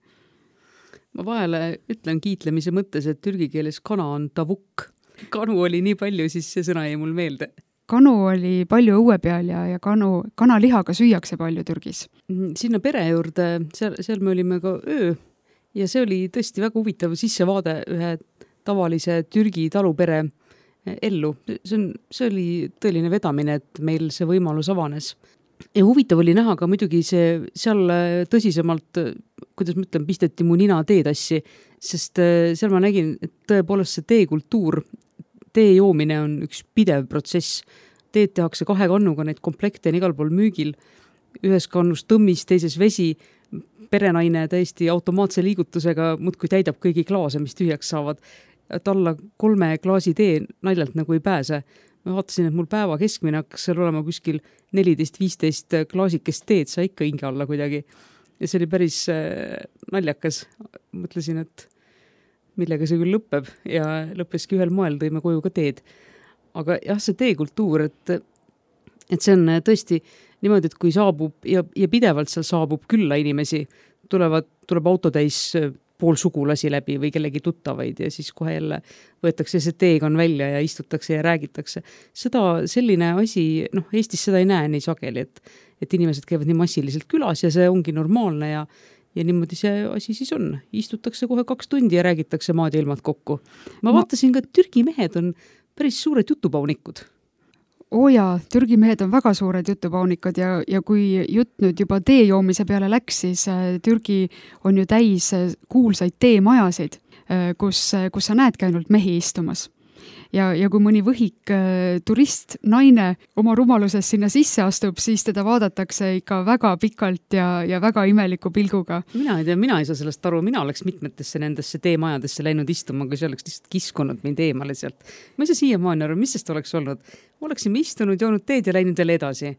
Ma vahele ütlen kiitlemise mõttes, et türgi keeles kana on tavuk. Kanu oli nii palju, siis see sõna jäi mul meelde. Kanu oli palju õue peal ja, ja kanu, kanalihaga süüakse palju Türgis. Sinna pere juurde, seal, seal me olime ka öö ja see oli tõesti väga huvitav sissevaade ühe tavalise Türgi talupere ellu. See, on, see oli tõeline vedamine, et meil see võimalus avanes. Ja huvitav oli näha ka muidugi see seal tõsisemalt, kuidas ma ütlen, pisteti mu nina teetassi, sest seal ma nägin, et tõepoolest see teekultuur, tee joomine on üks pidev protsess. Teed tehakse kahe kannuga, neid komplekte on igal pool müügil. Ühes kannus tõmmis, teises vesi. Perenaine täiesti automaatse liigutusega muudkui täidab kõigi klaase, mis tühjaks saavad. Et alla kolme klaasi tee naljalt nagu ei pääse. Ma vaatasin, et mul päeva keskmine hakkas seal olema kuskil neliteist viisteist klaasikest teed, sa ikka hinge alla kuidagi. Ja see oli päris naljakas. Mõtlesin, et millega see küll lõpeb ja lõppeski ühel moel, tõime koju ka teed. Aga jah, see teekultuur, et, et see on tõesti niimoodi, et kui saabub ja, ja pidevalt seal saabub külla inimesi, tulevad, tuleb autotäis pool sugulasi läbi või kellegi tuttavaid ja siis kohe jälle võetakse see teegan välja ja istutakse ja räägitakse. Seda, selline asi, noh, Eestis seda ei näe nii sageli, et, et inimesed käivad nii massiliselt külas ja see ongi normaalne ja Ja niimoodi see asi siis on. Istutakse kohe kaks tundi ja räägitakse maad ja ilmad kokku. Ma vaatasin ka, et Türgi mehed on päris suured jutupaunikud. Oo jaa, Türgi mehed on väga suured jutupaunikud ja, ja kui jutt nüüd juba tee joomise peale läks, siis Türgi on ju täis kuulsaid teemajasid, kus, kus sa näedki ainult mehi istumas. Ja, ja kui mõni võhik äh, turist, naine oma rumaluses sinna sisse astub, siis teda vaadatakse ikka väga pikalt ja, ja väga imeliku pilguga. Mina ei tea, mina ei saa sellest aru, mina oleks mitmetesse nendesse teemajadesse läinud istuma, kui see oleks lihtsalt kiskunud mind eemale sealt. Ma ei saa siiamaani aru, mis sest oleks olnud? Oleksime istunud, joonud teed ja läinud veel edasi.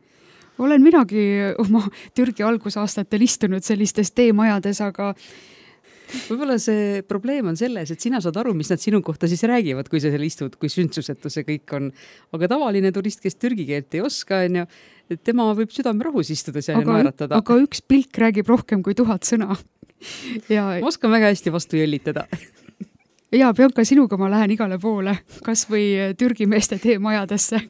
Olen minagi oma Türgi algusaastatel istunud sellistes teemajades, aga võib-olla see probleem on selles, et sina saad aru, mis nad sinu kohta siis räägivad, kui sa seal istud, kui sündsusetu see kõik on. Aga tavaline turist, kes türgi keelt ei oska, on ju, tema võib südame rahus istuda seal aga, ja naeratada. Aga üks pilk räägib rohkem kui tuhat sõna. Ja, ma oskan väga hästi vastu jõllitada. Ja Bianca, sinuga ma lähen igale poole, kas või Türgi meeste teemajadesse.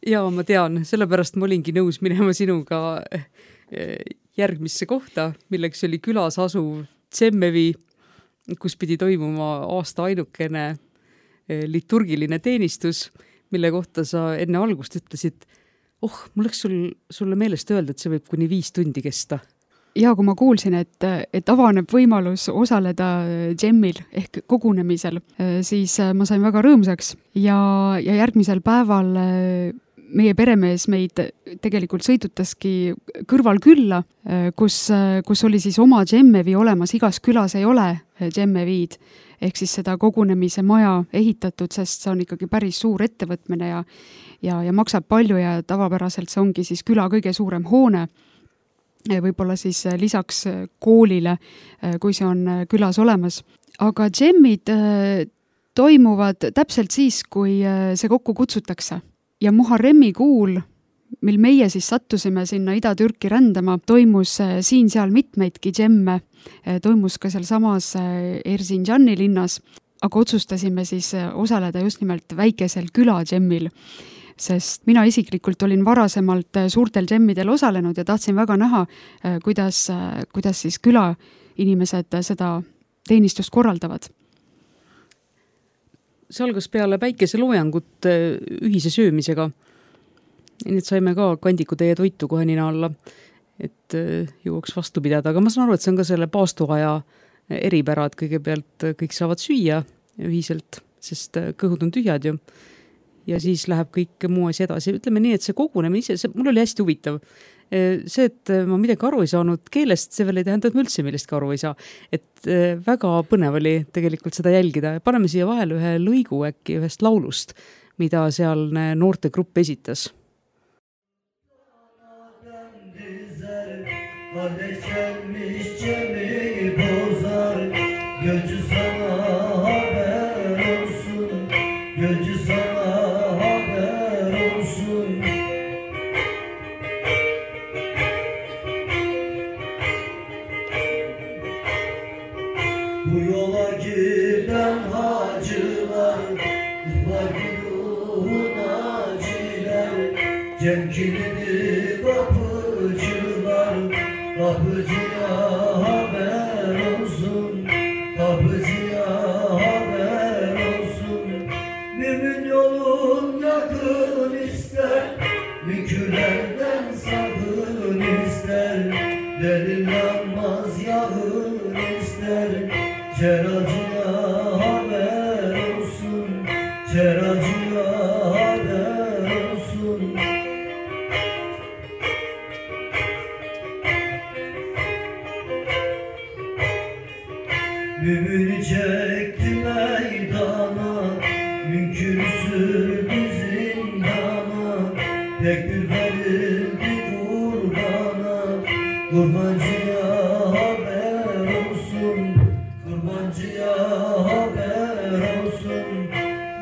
Ja ma tean, sellepärast ma olingi nõus minema sinuga järgmisse kohta, milleks oli külas asuv Tsemmevi, kus pidi toimuma aasta ainukene liturgiline teenistus, mille kohta sa enne algust ütlesid, oh, mul läks sul, sulle meelest öelda, et see võib kuni viis tundi kesta. ja kui ma kuulsin, et, et avaneb võimalus osaleda džemmil ehk kogunemisel, siis ma sain väga rõõmsaks ja, ja järgmisel päeval meie peremees meid tegelikult sõidutaski kõrval külla, kus, kus oli siis oma džemmevi olemas, igas külas ei ole džemmeviid, ehk siis seda kogunemise maja ehitatud, sest see on ikkagi päris suur ettevõtmine ja, ja, ja maksab palju ja tavapäraselt see ongi siis küla kõige suurem hoone, võib-olla siis lisaks koolile, kui see on külas olemas. Aga džemmid toimuvad täpselt siis, kui see kokku kutsutakse. Ja Muharremi kuul, mil meie siis sattusime sinna Ida-Türki rändama, toimus siin-seal mitmeidki džemme, toimus ka seal samas Erzinjani linnas, aga otsustasime siis osaleda just nimelt väikesel küla džemmil, sest mina isiklikult olin varasemalt suurtel džemmidel osalenud ja tahtsin väga näha, kuidas, kuidas siis küla inimesed seda teenistust korraldavad. See algas peale päikeseloojangut ühise söömisega. Nii et saime ka kandikutäie toitu kohe nina alla, et jõuaks vastu pidada. Aga ma saan aru, et see on ka selle paastuaja eripära, et kõigepealt kõik saavad süüa ühiselt, sest kõhud on tühjad ju. Ja siis läheb kõik muu asi edasi. Ütleme nii, et see kogunemine ise, see, mul oli hästi huvitav. See, et ma midagi aru ei saanud keelest, see veel ei tähenda, et ma üldse millestki aru ei saa. Et väga põnev oli tegelikult seda jälgida. Paneme siia vahele ühe lõigu äkki ühest laulust, mida seal noorte grupp esitas. Bu yola giden hacılar, kızlar ruhuna ciler, cem kilidi kapıcılar, kapıcıya haber olsun, kapıcıya haber olsun. Mümin yolun yakın ister, mükürlerden sakın ister, delil yanmaz yağın ister. Ceracıya haber olsun, ceracıya haber olsun. Mümini çekti meydana, münkürü sürdü zindana, tekbir verildi kurbana, kurbancıya haber olsun. Kurbancıya haber olsun.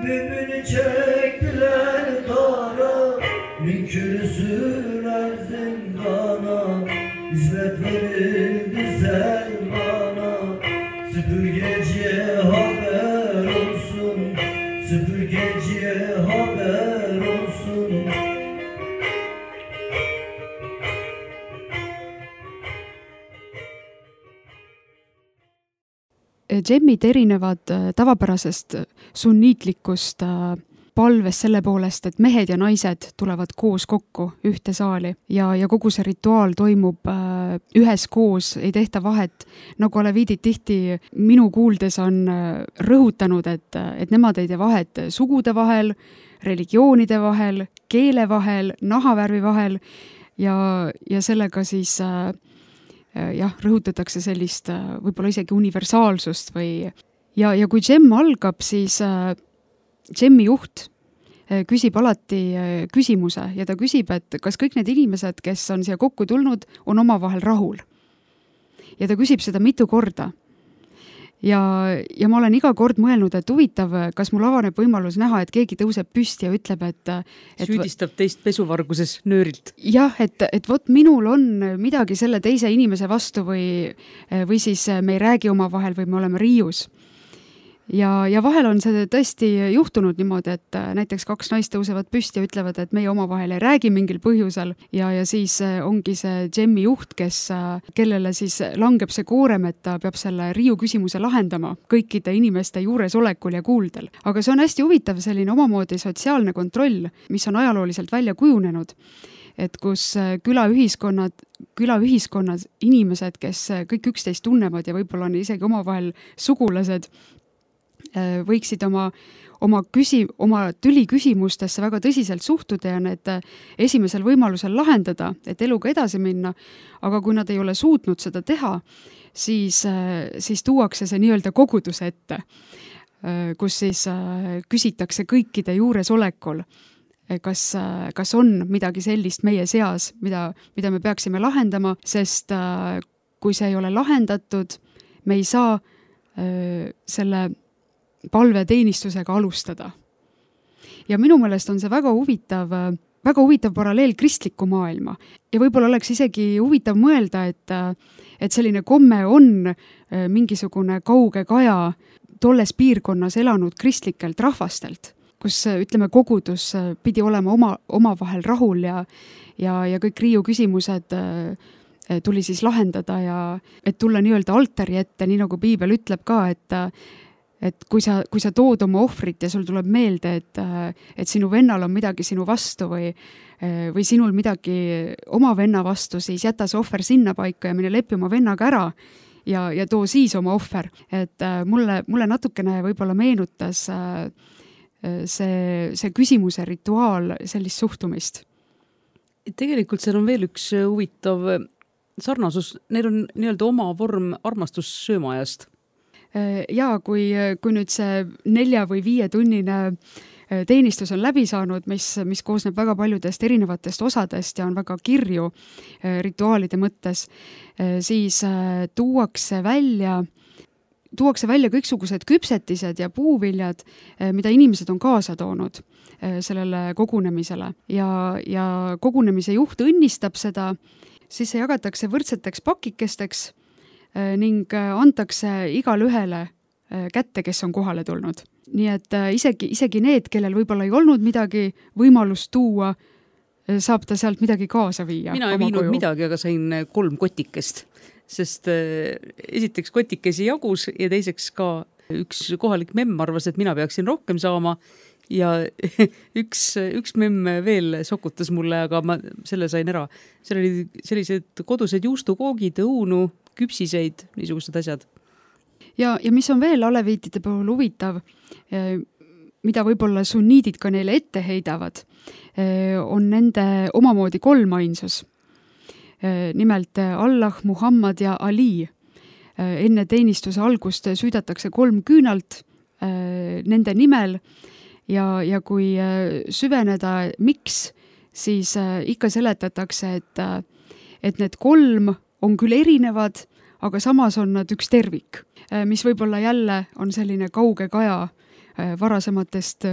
Mümini çektiler dara, münkürü sürler zindana, hizmet verildi Selmana. Süpürgeciye haber olsun, süpürgeciye haber olsun. Džemmid erinevad tavapärasest sunniitlikust palvest selle poolest, et mehed ja naised tulevad koos kokku ühte saali ja, ja kogu see rituaal toimub ühes koos, ei tehta vahet. Nagu aleviidid tihti minu kuuldes on rõhutanud, et, et nemad ei tee vahet sugude vahel, religioonide vahel, keele vahel, nahavärvi vahel ja, ja sellega siis jah, rõhutatakse sellist võib-olla isegi universaalsust või ja, ja kui džemm algab, siis džemmi juht küsib alati küsimuse ja ta küsib, et kas kõik need inimesed, kes on siia kokku tulnud, on omavahel rahul. Ja ta küsib seda mitu korda. Ja, ja ma olen iga kord mõelnud, et huvitav, kas mul avaneb võimalus näha, et keegi tõuseb püsti ja ütleb, et, et süüdistab teist pesuvarguses nöörilt. Jah, et, et vot minul on midagi selle teise inimese vastu või, või siis me ei räägi omavahel või me oleme riius. Ja, ja vahel on see tõesti juhtunud niimoodi, et näiteks kaks naist tõusevad püsti ja ütlevad, et meie omavahel ei räägi mingil põhjusel ja, ja siis ongi see džemmi juht, kes, kellele siis langeb see koorem, et ta peab selle riiu küsimuse lahendama kõikide inimeste juuresolekul ja kuuldel. Aga see on hästi huvitav selline omamoodi sotsiaalne kontroll, mis on ajalooliselt välja kujunenud. et kus külaühiskonnad, külaühiskonnad, inimesed, kes kõik üksteist tunnevad ja võib-olla on isegi omavahel sugulased, võiksid oma, oma, küsi, oma tüliküsimustesse väga tõsiselt suhtuda ja need esimesel võimalusel lahendada, et eluga edasi minna, aga kui nad ei ole suutnud seda teha, siis, siis tuuakse see nii-öelda koguduse ette, kus siis küsitakse kõikide juuresolekul, kas, kas on midagi sellist meie seas, mida, mida me peaksime lahendama, sest kui see ei ole lahendatud, me ei saa selle palveteenistusega alustada. Ja minu meelest on see väga huvitav, väga huvitav paralleel kristliku maailma. Ja võib-olla oleks isegi huvitav mõelda, et, et selline komme on mingisugune kauge kaja tolles piirkonnas elanud kristlikelt rahvastelt, kus ütleme kogudus pidi olema oma, oma vahel rahul ja, ja, ja kõik riiu küsimused tuli siis lahendada ja et tulla nii-öelda altari ette, nii nagu piibel ütleb ka, et et kui sa, kui sa tood oma ohvrit ja sul tuleb meelde, et, et sinu vennal on midagi sinu vastu või, või sinul midagi oma venna vastu, siis jäta see ohver sinna paika ja mine lepi oma vennaga ära ja, ja too siis oma ohver. Et mulle, mulle natukene võib-olla meenutas see, see küsimuse rituaal sellist suhtumist. Tegelikult seal on veel üks huvitav sarnasus, neil on nii-öelda oma vorm armastussöömajast. Ja kui, kui nüüd see nelja või viie tunnine teenistus on läbi saanud, mis, mis koosneb väga paljudest erinevatest osadest ja on väga kirju rituaalide mõttes, siis tuuakse välja, tuuakse välja kõiksugused küpsetised ja puuviljad, mida inimesed on kaasa toonud sellele kogunemisele ja, ja kogunemise juht õnnistab seda, siis see jagatakse võrdseteks pakikesteks ning antakse igale ühele kätte, kes on kohale tulnud. Nii et isegi, isegi need, kellel võib-olla ei olnud midagi võimalust tuua, saab ta sealt midagi kaasa viia. Mina ei viinud koju. midagi, aga sain kolm kotikest, sest esiteks kotikesi jagus ja teiseks ka üks kohalik memm arvas, et mina peaksin rohkem saama ja üks, üks memm veel sokutas mulle, aga ma selle sain ära. Seal oli sellised kodused juustukoogid, õunu, küpsiseid, niisugused asjad. Ja, ja mis on veel aleviitide puhul huvitav, mida võib-olla sunniidid ka neile ette heidavad, on nende omamoodi kolmainsus. Nimelt Allah, Muhammad ja Ali. Enne teenistuse algust süüdatakse kolm küünalt nende nimel ja, ja kui süveneda, miks, siis ikka seletatakse, et, et need kolm on küll erinevad, aga samas on nad üks tervik, mis võib-olla jälle on selline kauge kaja varasematest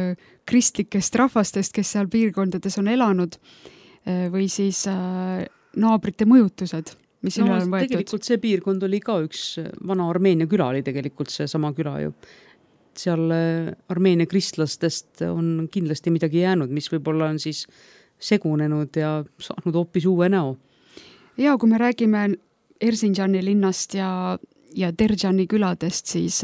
kristlikest rahvastest, kes seal piirkondades on elanud, või siis naabrite mõjutused, mis no, on võetud. Tegelikult see piirkond oli ka üks vana Armeenia küla, oli tegelikult see sama küla ju. Seal Armeenia kristlastest on kindlasti midagi jäänud, mis võib-olla on siis segunenud ja saanud hoopis uue näo. Ja kui me räägime Erzinjani linnast ja, ja Derjani küladest, siis,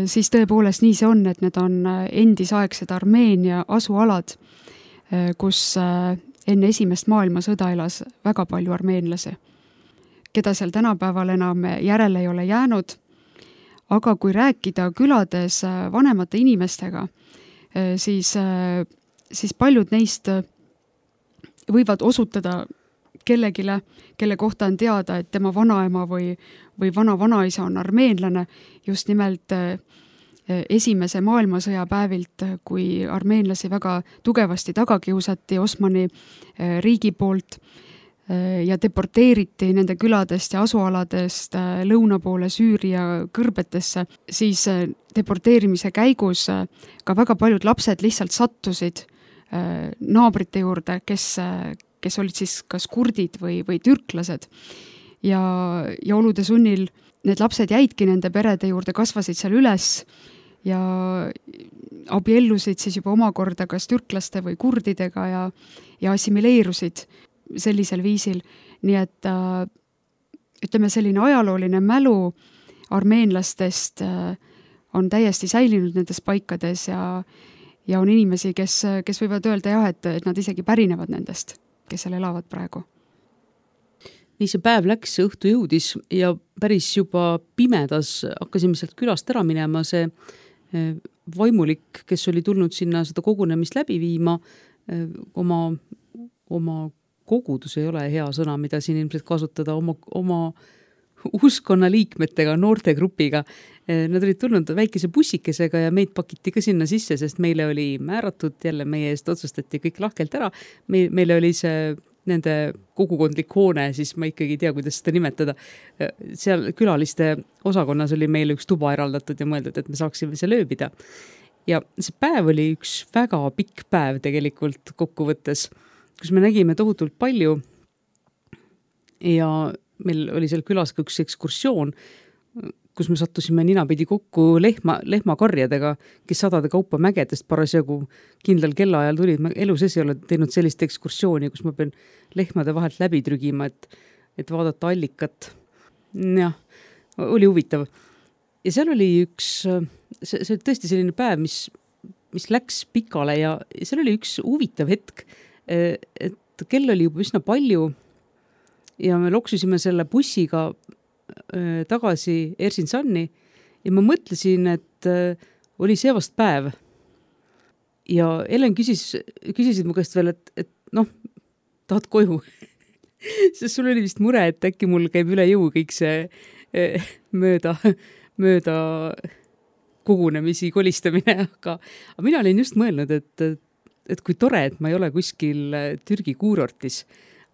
siis tõepoolest nii see on, et need on endisaegsed Armeenia asualad, kus enne esimest maailmasõda elas väga palju armeenlasi, keda seal tänapäeval enam järele ei ole jäänud. Aga kui rääkida külades vanemate inimestega, siis, siis paljud neist võivad osutada kellegile, kelle kohta on teada, et tema vanaema või, või vana-vanaisa on armeenlane, just nimelt esimese maailmasõja päevilt, kui armeenlasi väga tugevasti tagakiusati Osmani riigi poolt ja deporteeriti nende küladest ja asualadest lõuna poole Süüria kõrbetesse, siis deporteerimise käigus ka väga paljud lapsed lihtsalt sattusid naabrite juurde, kes kes olid siis kas kurdid või, või türklased ja, ja olude sunnil need lapsed jäidki nende perede juurde, kasvasid seal üles ja abiellusid siis juba omakorda kas türklaste või kurdidega ja, ja assimileerusid sellisel viisil. Nii et äh, ütleme, selline ajalooline mälu armeenlastest äh, on täiesti säilinud nendes paikades ja, ja on inimesi, kes, kes võivad öelda jah, et, et nad isegi pärinevad nendest. kes seal elavad praegu? Nii see päev läks, õhtu jõudis ja päris juba pimedas hakkasime sealt külast ära minema. See vaimulik, kes oli tulnud sinna seda kogunemist läbi viima, oma, oma kogudus ei ole hea sõna, mida siin ilmselt kasutada, oma, oma uskonna liikmetega, noortegrupiga. Nad olid tulnud väikese bussikesega ja meid pakiti ka sinna sisse, sest meile oli määratud, jälle meie eest otsustati kõik lahkelt ära. Me, meile oli see nende kogukondlik hoone, siis ma ikkagi ei tea, kuidas seda nimetada. Seal külaliste osakonnas oli meile üks tuba eraldatud ja mõeldud, et me saaksime seal ööbida. Ja see päev oli üks väga pikk päev tegelikult kokkuvõttes, kus me nägime tohutult palju ja meil oli seal külas ka üks ekskursioon, kus me sattusime ninapidi kokku lehma, lehmakarjadega, kes sadade kaupa mägedest parasjagu kindlal kellaajal tulid. Ma elu sees ei ole teinud sellist ekskursiooni, kus ma pean lehmade vahelt läbi trügima, et, et vaadata allikat. Jah, oli huvitav. Ja seal oli üks, see, see oli tõesti selline päev, mis, mis läks pikale ja seal oli üks huvitav hetk, et kell oli juba üsna palju ja me loksusime selle bussiga tagasi Erzincanni ja ma mõtlesin, et oli see vast päev. Ja Ellen küsis, küsisid mu käest veel, et, et noh, tahad koju? Sest sul oli vist mure, et äkki mul käib üle jõu kõik see mööda, mööda kogunemisi kolistamine, aga, aga mina olin just mõelnud, et, et kui tore, et ma ei ole kuskil Türgi kuurortis,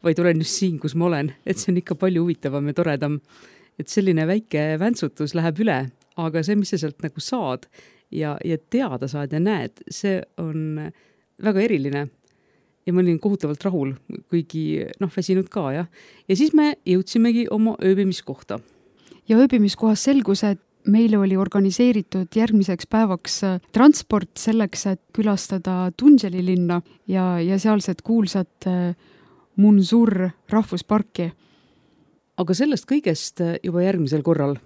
vaid olen just siin, kus ma olen, et see on ikka palju huvitavam ja toredam, et selline väike väntsutus läheb üle, aga see, mis sa sealt nagu saad ja, ja teada saad ja näed, see on väga eriline ja ma olin kohutavalt rahul, kuigi noh, väsinud ka, jah. Ja siis me jõudsimegi oma ööbimiskohta. Ja ööbimiskohas selgus, et meile oli organiseeritud järgmiseks päevaks transport selleks, et külastada Tunželi linna ja, ja sealset kuulsat Munzur rahvusparki. Aga sellest kõigest juba järgmisel korral.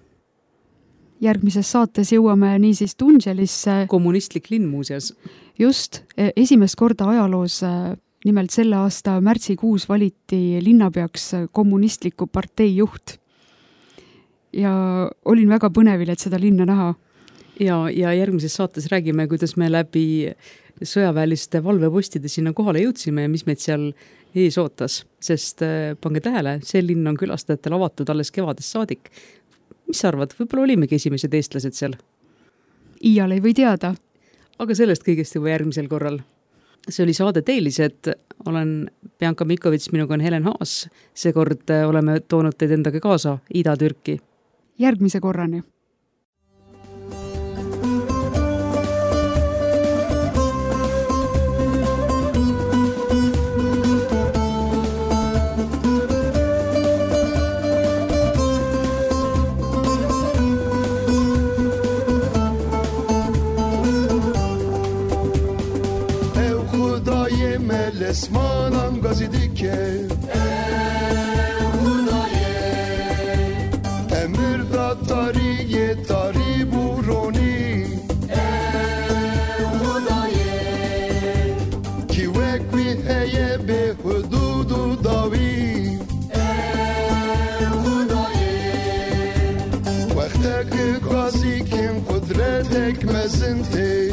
Järgmises saates jõuame niisiis Tunželisse. Kommunistlik linn muuseas. Just, esimest korda ajaloos, nimelt selle aasta märtsikuus valiti linnapeaks kommunistliku partei juht. Ja olin väga põnevil, et seda linna näha. Ja, ja järgmises saates räägime, kuidas me läbi sõjaväeliste valvepostide sinna kohale jõudsime ja mis meid seal ees ootas, sest pange tähele, see linn on külastajatel avatud alles kevadest saadik. Mis sa arvad, võib-olla olimegi esimesed eestlased seal? Iial ei või teada. Aga sellest kõigest juba järgmisel korral. See oli saade Teelised, olen Bianca Mikovits, minuga on Helen Haas. Seekord oleme toonud teid endaga kaasa Ida-Türki. Järgmise korrani. اسمانم گازیدی که امیر داد تاری تاری بورونی کی وکوی هیه به حدود و داوی وقت که گازی کم قدرت مزنتی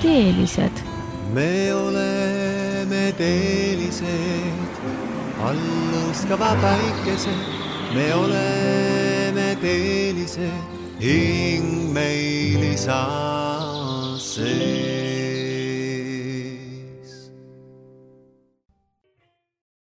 teelised? me oleme teelised, allustava päikesed. me oleme teelised, hing meil isasse.